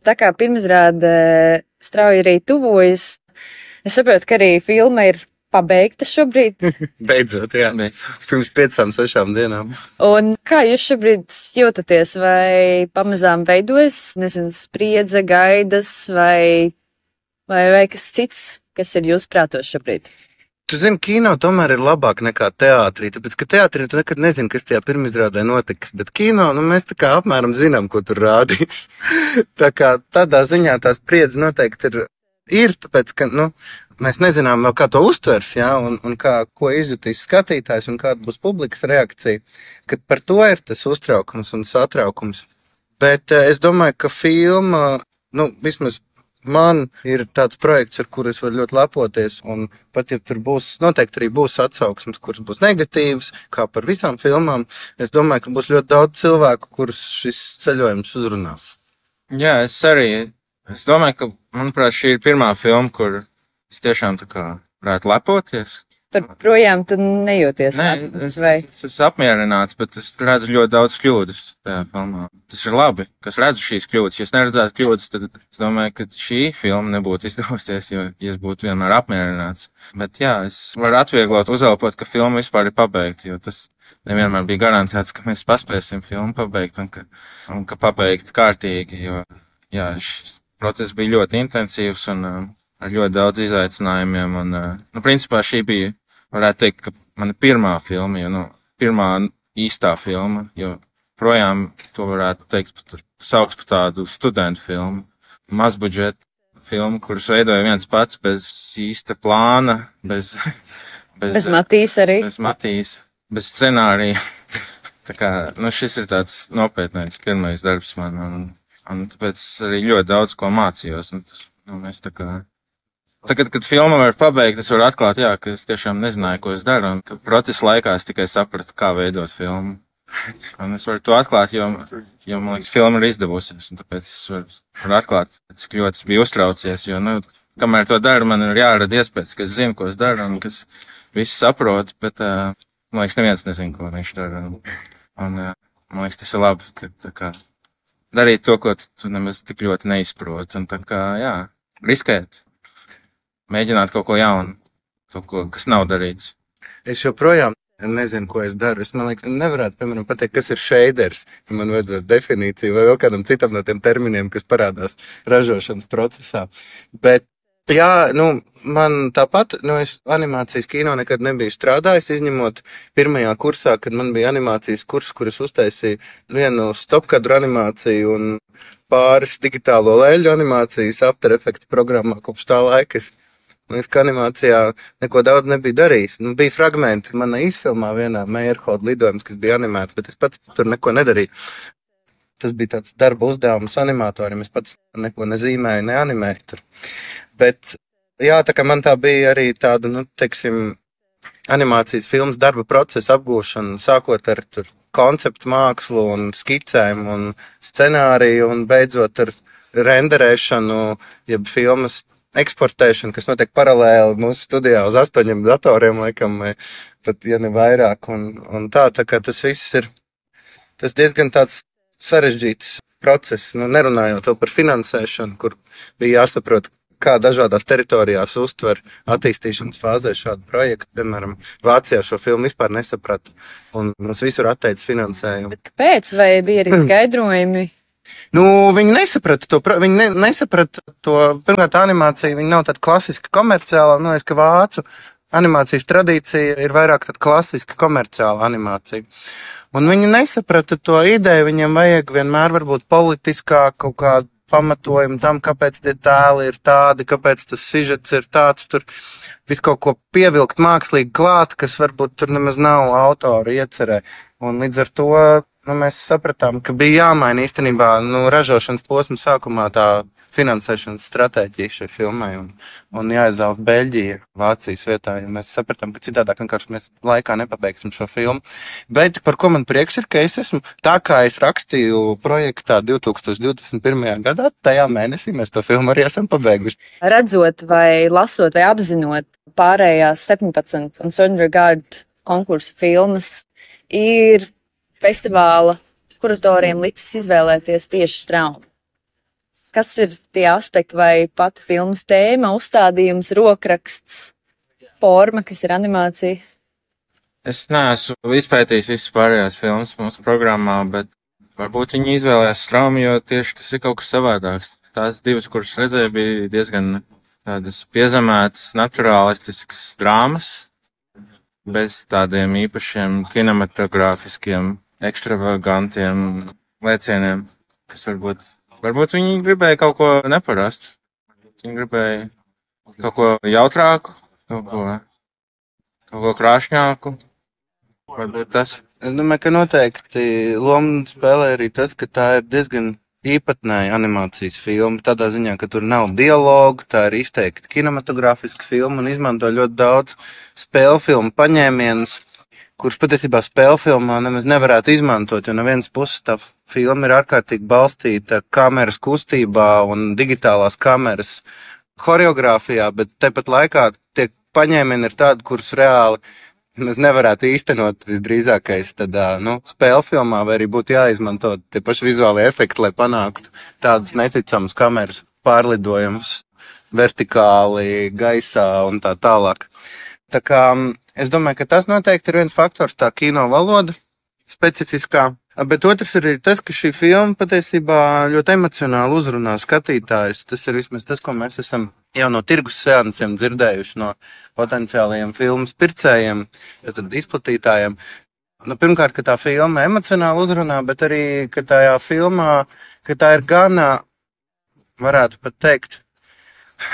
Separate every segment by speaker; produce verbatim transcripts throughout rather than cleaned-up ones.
Speaker 1: Tā kā pirmizrāde strauji arī tuvojas, es saprotu, ka arī filma ir pabeigta šobrīd.
Speaker 2: Beidzot, jā. Pirms piecām, sešām dienām.
Speaker 1: Un kā jūs šobrīd jūtaties? Vai pamazām veidojas, nezinu, spriedze, gaidas vai, vai, vai kas cits, kas ir jūsu prātos šobrīd?
Speaker 2: Tu zini, kino tomēr ir labāk nekā teātrī, tāpēc, ka teātrī tu nekad nezini, kas tajā pirmizrādē notiks, bet kino, nu, mēs tā kā apmēram zinām, ko tur rādīs. Tā kā tādā ziņā tās spriedze noteikti ir, ir, tāpēc, ka, nu, mēs nezinām vēl, kā to uztvers, jā, un, un kā, ko izjutīs skatītājs un kāda būs publikas reakcija, kad par to ir tas uztraukums un satraukums. Bet es domāju, ka filma, nu, vismaz man ir tāds projekts, ar kuru es varu ļoti lepoties, un pat ja tur būs, noteikti arī būs atsauksmes, kuras būs negatīvas, kā par visām filmām, es domāju, ka būs ļoti daudz cilvēku, kurus šis ceļojums uzrunās.
Speaker 3: Jā, es arī, es domāju, ka, manuprāt, šī ir pirmā filma, kur es tiešām tā kā varētu lepoties.
Speaker 1: Par projām tu nejūties?
Speaker 3: Nē, es, vai? es esmu apmierināts, bet es redzu ļoti daudz kļūdas tajā filmā. Tas ir labi, ka es redzu šīs kļūdas. Ja es neredzētu kļūdas, tad es domāju, ka šī filma nebūtu izdevusies, jo ja es būtu vienmēr apmierināts. Bet jā, es varu atvieglot, uzelpot, ka filma vispār ir pabeigta, jo tas nevienmēr bija garantēts, ka mēs paspēsim filmu pabeigt un ka, un ka pabeigt kārtīgi, jo jā, šis process bija ļoti intensīvs un um, ar ļoti daudz izaicinājumiem, un, nu, principā šī bija, varētu teikt, ka mana pirmā filma, jo, nu, pirmā īstā filma, jo projām to varētu teikt, saukt par tādu studentu filmu, mazbudžeta filmu, kuras veidoja viens pats bez īsta plāna, bez...
Speaker 1: Bez, bez Matīs arī.
Speaker 3: Bez Matīs, bez scenārija. Tā kā, nu, šis ir tāds nopietnais pirmais darbs man, un, un tāpēc arī ļoti daudz ko mācījos, un tas, nu, mēs tā kā... Tagad, kad filma var pabeigt, es varu atklāt, jā, ka es tiešām nezināju, ko es daru, un ka procesa laikā es tikai sapratu, kā veidot filmu. Un es varu to atklāt, jo, jo man liekas, filma ir izdevusies, un tāpēc es varu, varu atklāt, cik ļoti es biju uztraucies, jo, nu, kamēr to daru, man ir jārada iespējas, ka es zinu, ko es daru, un ka es visu saprotu, bet, uh, man liekas, neviens nezinu, ko viņš dara. Un, un uh, man liekas, tas ir labi, ka, tā kā, darīt to, ko tu, tu nemaz tik ļoti neizproti, un tā kā, jā, riskēt. Mēģināt kaut ko jaunu, kaut ko, kas nav darīts.
Speaker 2: Es joprojām nezinu, ko es daru. Es, man liekas, nevarētu, piemēram, pateikt, kas ir shaders, ja man vajadzētu definīciju vai vēl kādam citam no tiem terminiem, kas parādās ražošanas procesā. Bet, jā, nu, man tāpat, nu, es animācijas kino nekad nebiju strādājis, izņemot pirmajā kursā, kad man bija animācijas kurs, kur es uztaisīju vienu stopkadru animāciju un pāris digitālo lēļu animācijas After Effects programmā kopš tā laika. Es Man liekas, ka animācijā neko daudz nebija darījis. Nu, bija fragmenti manā izfilmā vienā Meyerhold lidojums, kas bija animēts, bet es pats tur neko nedarīju. Tas bija tāds darba uzdevums animatoriem, es pats neko nezīmēju, neanimēju tur. Bet, jā, tā kā man tā bija arī tāda, nu, teiksim, animācijas filmas darba procesa apgūšana, sākot ar tur konceptu mākslu un skicēm un scenāriju un beidzot ar renderēšanu, jeb filmas eksportēšanu, kas notiek paralēli mūsu studijā uz astoņiem datoriem, laikam, vai pat, ja ne vairāk, un, un tā, tā kā tas viss ir, tas diezgan tāds sarežģīts process, nu, nerunājot vēl par finansēšanu, kur bija jāsaprot, kā dažādās teritorijās uztver attīstīšanas fāzē šādu projektu, piemēram, Vācijā šo filmu vispār nesaprata, un mums visur atteicis finansējumu.
Speaker 1: Bet kāpēc? Vai bija arī skaidrojumi?
Speaker 2: Nu, viņi nesaprata to, viņi ne, nesaprata to, pirmkārt, animācija, viņa nav tāda klasiska komerciāla, nu, es, ka vācu animācijas tradīcija ir vairāk tāda klasiska komerciāla animācija. Un viņi nesaprata to ideju, viņiem vajag vienmēr varbūt politiskā kaut kāda pamatojumu tam, kāpēc tie tēli ir tādi, kāpēc tas sižets ir tāds, tur visu kaut ko pievilkt mākslīgi klāt, kas varbūt tur nemaz nav autora iecerē. Un līdz ar to, nu, mēs sapratām, ka bija jāmaina īstenībā, nu, ražošanas posma sākumā tā finansēšanas stratēģija šai filmai un, un jāizvēlas Beļģija Vācijas vietā, jo mēs sapratām, ka citādāk vienkārši mēs laikā nepabeigsim šo filmu. Bet par ko man prieks ir, ka es esmu, tā kā es rakstīju projektā divi tūkstoši divdesmit pirmajā gadā, tajā mēnesī mēs to filmu arī esam pabeiguši.
Speaker 1: Redzot vai lasot vai apzinot pārējās septiņpadsmit un Certain Regard konkursu filmas, ir festivāla kuratoriem licis izvēlēties tieši Straumu. kas ir tie aspekti vai pati filmas tēma, uzstādījums, rokraksts, forma, kas ir animācija?
Speaker 3: Es neesmu izpētījis visas pārējās filmas mūsu programmā, bet varbūt viņi izvēlējās Straumi, jo tieši tas ir kaut kas savādāks. Tās divas, kuras redzēju, bija diezgan tādas piezemētas, naturālistiskas drāmas, bez tādiem īpašiem kinematogrāfiskiem, ekstravagantiem lēcieniem, kas varbūt, varbūt viņi gribēja kaut ko neparastu. Viņi gribēja kaut ko jautrāku, kaut ko, kaut ko krāšņāku. Varbūt tas.
Speaker 2: Es domāju, ka noteikti lomu spēlē arī tas, ka tā ir diezgan īpatnēja animācijas filma, tādā ziņā, ka tur nav dialogu, tā ir izteikti kinematogrāfiska filma un izmanto ļoti daudz spēļu filmu paņēmienus, kurus patiesībā spēļu filmā nemaz nevarētu izmantot, jo no vienas puses tā filma ir ārkārtīgi balstīta kameras kustībā un digitālās kameras horeogrāfijā, bet tepat laikā tie paņēmieni ir tādi, kurus reāli mēs nevarētu īstenot visdrīzākais tādā, nu, spēļu filmā, vai arī būtu jāizmanto tie paši vizuālie efekti, lai panāktu tādus neticamus kameras pārlidojumus vertikāli, gaisā un tā tālāk. Tā kā es domāju, ka tas noteikti ir viens faktors, tā kino valoda specifiskā, bet otrs ir tas, ka šī filma patiesībā ļoti emocionāli uzrunā skatītājus. Tas ir vismaz tas, ko mēs esam jau no tirgus seansiem dzirdējuši no potenciālajiem filmas pircējiem, tad izplatītājiem. Nu, pirmkārt, ka tā filma emocionāli uzrunā, bet arī, ka tajā filmā, ka tā ir gana, varētu pat teikt,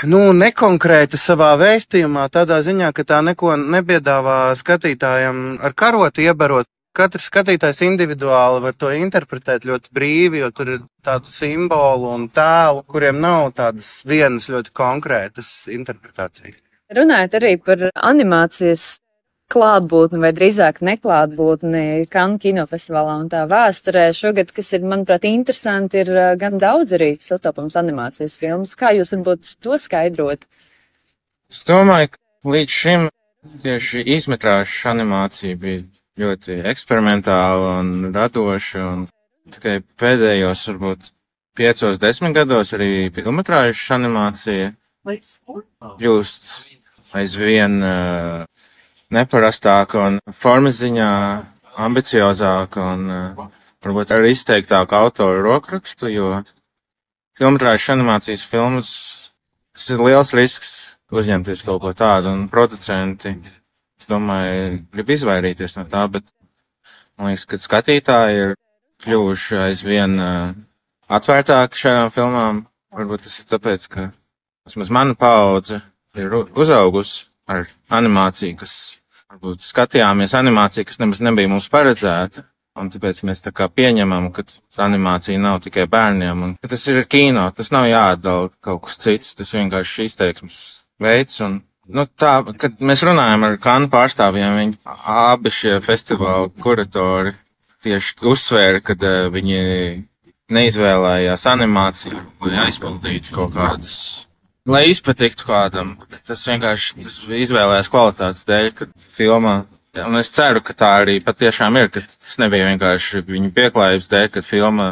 Speaker 2: nu, nekonkrēta savā vēstījumā, tādā ziņā, ka tā neko nepiedāvā skatītājiem ar karoti iebarot. Katrs skatītājs individuāli var to interpretēt ļoti brīvi, jo tur ir tādu simbolu un tēlu, kuriem nav tādas vienas ļoti konkrētas interpretācijas.
Speaker 1: Runājot arī par animācijas klātbūtni vai drīzāk neklātbūtni Cannes kinofestivālā un tā vēsturē šogad, kas ir, manuprāt, interesanti, ir gan daudz arī sastopams animācijas filmas. Kā jūs varbūt to skaidrot?
Speaker 3: Es domāju, ka līdz šim tieši izmetrāžu animācija bija ļoti eksperimentāla un radoša, un tikai pēdējos, varbūt, piecos, desmit gados arī filmetrāžas animācija kļūst aizvien uh, neparastāka un formas ziņā ambiciozāka un uh, varbūt arī izteiktāka autoru rokrakstu, jo filmetrāžas animācijas filmas, tas ir liels risks uzņemties kaut ko tādu, un producenti, es domāju, grib izvairīties no tā, bet man liekas, ka skatītāji ir kļuvuši aizvien uh, atvērtāki šajām filmām. Varbūt tas ir tāpēc, ka vismaz mana paudze ir uzaugusi ar animāciju, kas varbūt skatījāmies animāciju, kas nemaz nebija mums paredzēta. Un tāpēc mēs tā kā pieņemam, ka animācija nav tikai bērniem. Un, ka tas ir kino, tas nav jāatdala kaut kas cits, tas vienkārši izteiksmes veids. Un, nu tā, kad mēs runājam ar Cannes pārstāvjiem, viņi abi šie festivāla kuratori tieši uzsvēra, ka uh, viņi neizvēlējās animāciju, lai aizpildītu kaut kādas, lai izpatiktu kādam. Tas vienkārši tas izvēlējās kvalitātes dēļ, kad filmā. Un es ceru, ka tā arī patiešām ir, ka tas nebija vienkārši viņu pieklājības dēļ, kad filma,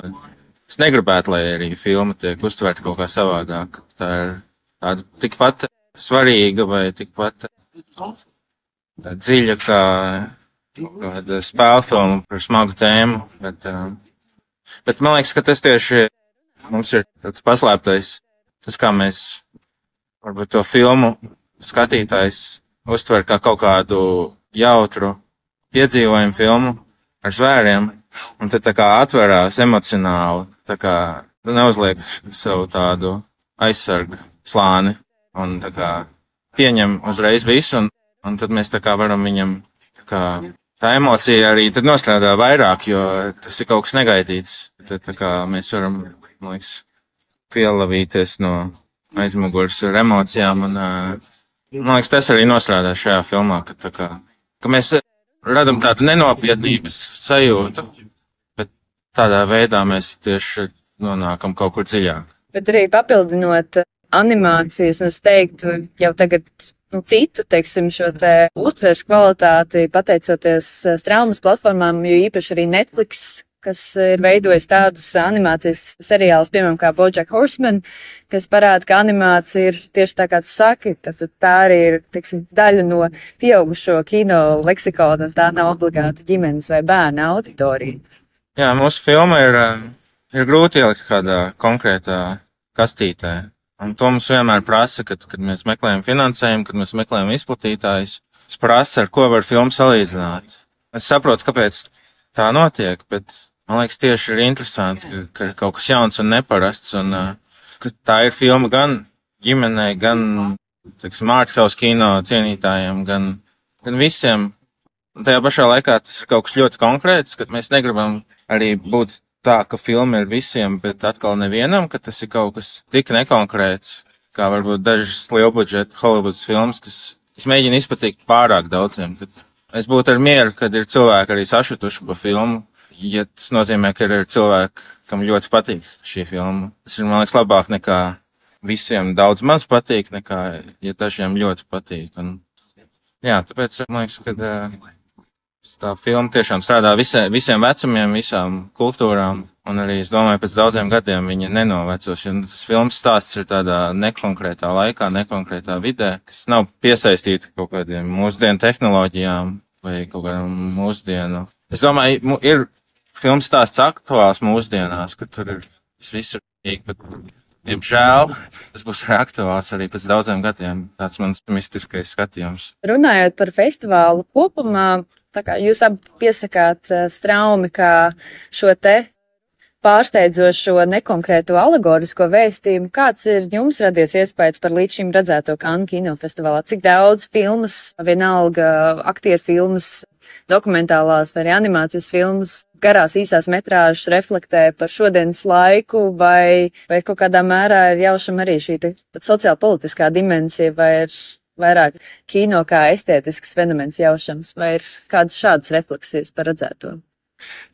Speaker 3: es negribētu, lai arī filma tiek uztverta kaut kā savādāk. Tā ir tāda tikpat svarīga vai tikpat dziļa kā kāda spēļu filma par smagu tēmu, bet, bet man liekas, ka tas tieši mums ir tāds paslēptais, tas kā mēs varbūt to filmu skatītājs uztver kā kaut kādu jautru piedzīvojumu filmu ar zvēriem, un tad tā kā atverās emocionāli, tā kā neuzliek savu tādu aizsargu slāni, un tā kā pieņem uzreiz visu, un, un tad mēs tā kā varam viņam, tā kā tā emocija arī tad nostrādā vairāk, jo tas ir kaut kas negaidīts. Tad tā kā mēs varam, man liekas, pielavīties no aizmugures ar emocijām, un man liekas, tas arī nostrādā šajā filmā, ka tā kā, ka mēs radam tādu nenopietnības sajūtu, bet tādā veidā mēs tieši nonākam kaut kur dziļāk.
Speaker 1: Bet arī papildinot animācijas, un es teiktu jau tagad, nu, citu, teiksim, šo te uztveres kvalitāti, pateicoties straumas platformām, jo īpaši arī Netflix kas ir veidojis tādus animācijas seriālus, piemēram, kā BoJack Horseman, kas parāda, ka animācija ir tieši tā, kā tu saki, tad tā arī ir, teiksim, daļa no pieaugušo kino leksikona, un tā nav obligāti ģimenes vai bērna auditorija.
Speaker 3: Jā, mūsu filma ir, ir grūti ielikt kādā konkrētā kastītē. Un to mums vienmēr prasa, kad, kad mēs meklējam finansējumu, kad mēs meklējam izplatītājus. Es prasa, ar ko var filmu salīdzināt. Es saprotu, kāpēc tā notiek, bet man liekas tieši ir interesanti, ka, ka ir kaut kas jauns un neparasts, un ka tā ir filma gan ģimenei, gan, teiksim, arthouse kino cienītājiem, gan, gan visiem. Un tajā pašā laikā tas ir kaut kas ļoti konkrēts, kad mēs negribam arī būt tā, ka filma ir visiem, bet atkal nevienam, ka tas ir kaut kas tik nekonkrēts, kā varbūt dažas lielbudžeta Hollywoods filmas, kas es mēģinu izpatikt pārāk daudziem. Kad es būtu ar mieru, kad ir cilvēki arī sašutuši pa filmu, ja tas nozīmē, ka ir cilvēki, kam ļoti patīk šī filma. Tas ir, man liekas, labāk nekā visiem daudz maz patīk, nekā, ja dažiem ļoti patīk. Un, jā, tāpēc, man liekas, ka tā filma tiešām strādā visai, visiem vecumiem, visām kultūrām, un arī, es domāju, pēc daudziem gadiem viņa nenovecos, jo tas filmas stāsts ir tādā nekonkrētā laikā, nekonkrētā vidē, kas nav piesaistīta kaut kādiem mūsdienu tehnoloģijām vai kaut kādam mūsdienu. Es domāju, ir filmas stāsts aktuāls mūsdienās, ka tur ir viss ir, bet, diemžēl, tas būs aktuāls arī pēc daudziem gadiem, tāds mans mistiskais skatījums.
Speaker 1: Runājot par festivālu kopumā, tā kā jūs abi piesakāt Straumi kā šo te pārsteidzošo nekonkrēto alegorisko vēstījumu, kāds ir jums radies iespējas par līdz šim redzēto Cannes kinofestivālā? Cik daudz filmas, vienalga aktieru filmas, dokumentālās vai animācijas filmas, garās īsās metrāžas reflektē par šodienas laiku, vai, vai kaut kādā mērā ir jaušama arī šī sociālpolitiskā dimensija, vai ir vairāk kino kā estētisks fenomens jaušams, vai ir kādas šādas refleksijas par redzēto?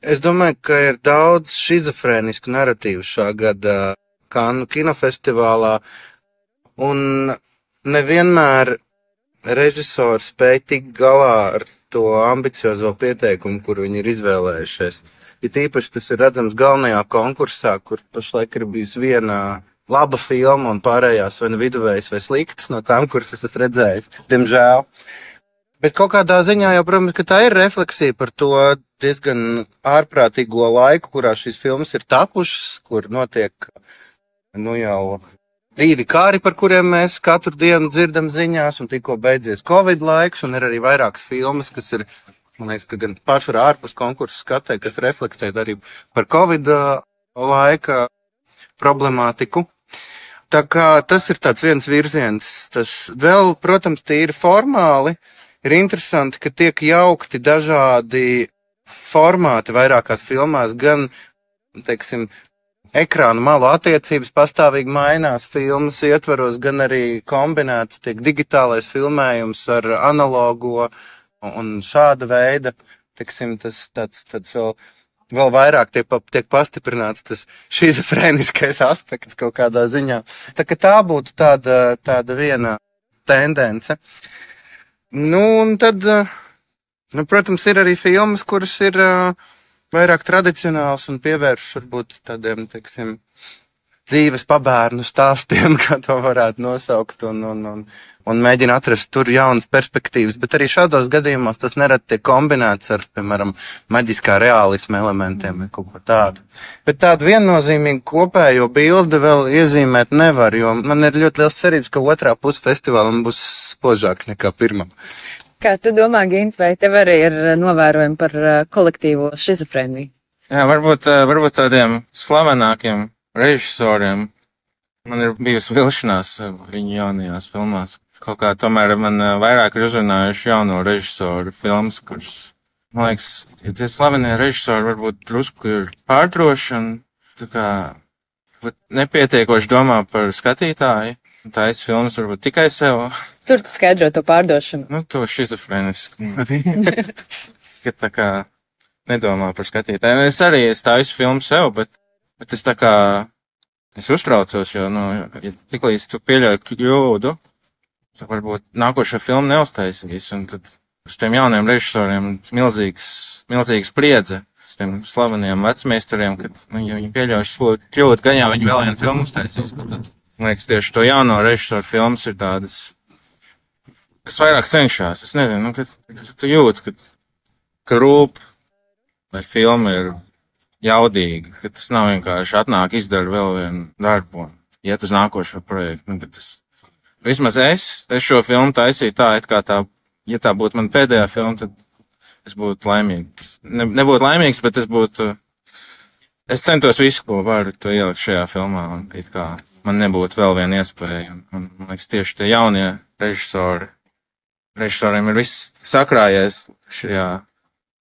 Speaker 2: Es domāju, ka ir daudz šizofrēnisku naratīvu šā gada Cannes kinofestivālā, un nevienmēr režisori spēj tikt galā ar to ambiciozo pieteikumu, kur viņi ir izvēlējušies. It īpaši tas ir redzams galvenajā konkursā, kur pašlaik ir bijusi viena laba filma un pārējās vai nu viduvējas vai sliktas no tām, kuras es esmu redzējis, diemžēl. Bet kaut kādā ziņā jau, protams, ka tā ir refleksija par to diezgan ārprātīgo laiku, kurā šīs filmas ir tapušas, kur notiek, nu jau divi kāri, par kuriem mēs katru dienu dzirdam ziņās, un tikko beidzies Covid laiks, un ir arī vairākas filmas, kas ir, man liekas, ka gan pārsvarā ārpus konkursu skatē, kas reflektē arī par Covid laika problemātiku. Tā kā tas ir tāds viens virziens. Tas vēl, protams, tīri formāli ir interesanti, ka tiek jaukti dažādi formāti vairākās filmās, gan, teiksim, ekrānu malu attiecības pastāvīgi mainās filmas ietvaros, gan arī kombinēts tiek digitālais filmējums ar analogo un šāda veida, teiksim, tas tāds, tāds vēl Vēl vairāk tiek, tiek pastiprināts tas šizofrēniskais aspekts kaut kādā ziņā. Tā ka tā būtu tāda, tāda viena tendence. Nu, un tad, nu, protams, ir arī filmas, kuras ir uh, vairāk tradicionāls un pievēršas varbūt tādiem, teiksim, dzīves pabērnu stāstiem, kā to varētu nosaukt, un, un, un, un mēģina atrast tur jaunas perspektīvas, bet arī šādos gadījumos tas nerad tiek kombinēts ar, piemēram, maģiskā reālisma elementiem vai kaut ko tādu. Bet tādu viennozīmīgu kopējo bildi vēl iezīmēt nevar, jo man ir ļoti liels cerības, ka otrā puse festivālam būs spožāk nekā pirmam.
Speaker 1: Kā tu domā, Gint, vai tev arī ir novērojumi par kolektīvo šizofrēniju?
Speaker 3: Jā, varbūt, varbūt tādiem slavenākiem režisoriem man ir bijusi vilšanās viņu jaunajās filmās. Kaut kā tomēr man vairāk ir uzrunājuši jauno režisoru filmas, kuras, man liekas, ja tie slavenie režisori varbūt drusku ir pārdroši un tā kā nepietiekoši domā par skatītāju. Tā es filmas varbūt tikai sev.
Speaker 1: Tur tu skaidro to pārdošanu.
Speaker 3: Nu, to šizofrēnisku arī. Ka tā kā nedomā par skatītāju. Es arī es taisu filmu sev, bet Bet es tā kā, es uztraucos, jo, nu, ja tiklīdz tu pieļauj kļūdu, tad varbūt nākošā filma neuztaisīs, un tad uz tiem jauniem režisoriem milzīgs, milzīgs spriedze. Es tiem slaveniem vecmeistariem, kad nu, ja viņi pieļauj kļūt, gan jau viņi vēl vienu filmu uztaisīs. Tad, man liekas, tieši to jauno režisoru filmas ir tādas, kas vairāk cenšas. Es nezinu, nu, kad, kad tu jūti, ka, ka rūp, vai filma ir jaudīga, ka tas nav vienkārši atnāk, izdara vēl vienu darbu un iet uz nākošo projektu. Nu, tas, vismaz es, es šo filmu taisīju tā, it kā tā, ja tā būtu man pēdējā filma, tad es būtu laimīgs. Ne, nebūtu laimīgs, bet es būtu, es centos visu, ko varu, to ielikt šajā filmā, un it kā man nebūtu vēl viena iespēja. Un, un, man liekas, tieši tie jaunie režisori, režisoriem ir viss sakrājies šajā,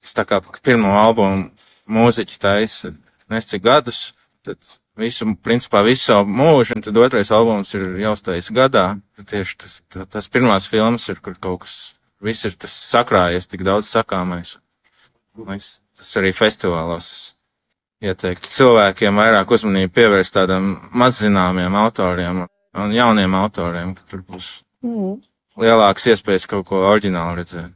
Speaker 3: tas tā kā pirmo albumu mūziķi taisa nes cik gadus, tad visu, principā visu savu mūžu, un tad otrais albums ir jāuztais gadā. Tad tieši tas, tas pirmās filmas ir, kur kaut kas, viss ir tas sakrājies, tik daudz sakāmais. Liekas, tas arī festivālos es ieteiktu cilvēkiem vairāk uzmanību pievērst tādam mazzināmiem autoriem un jauniem autoriem, ka tur būs
Speaker 1: Mm.
Speaker 3: lielākas iespējas kaut ko oriģinālu redzēt.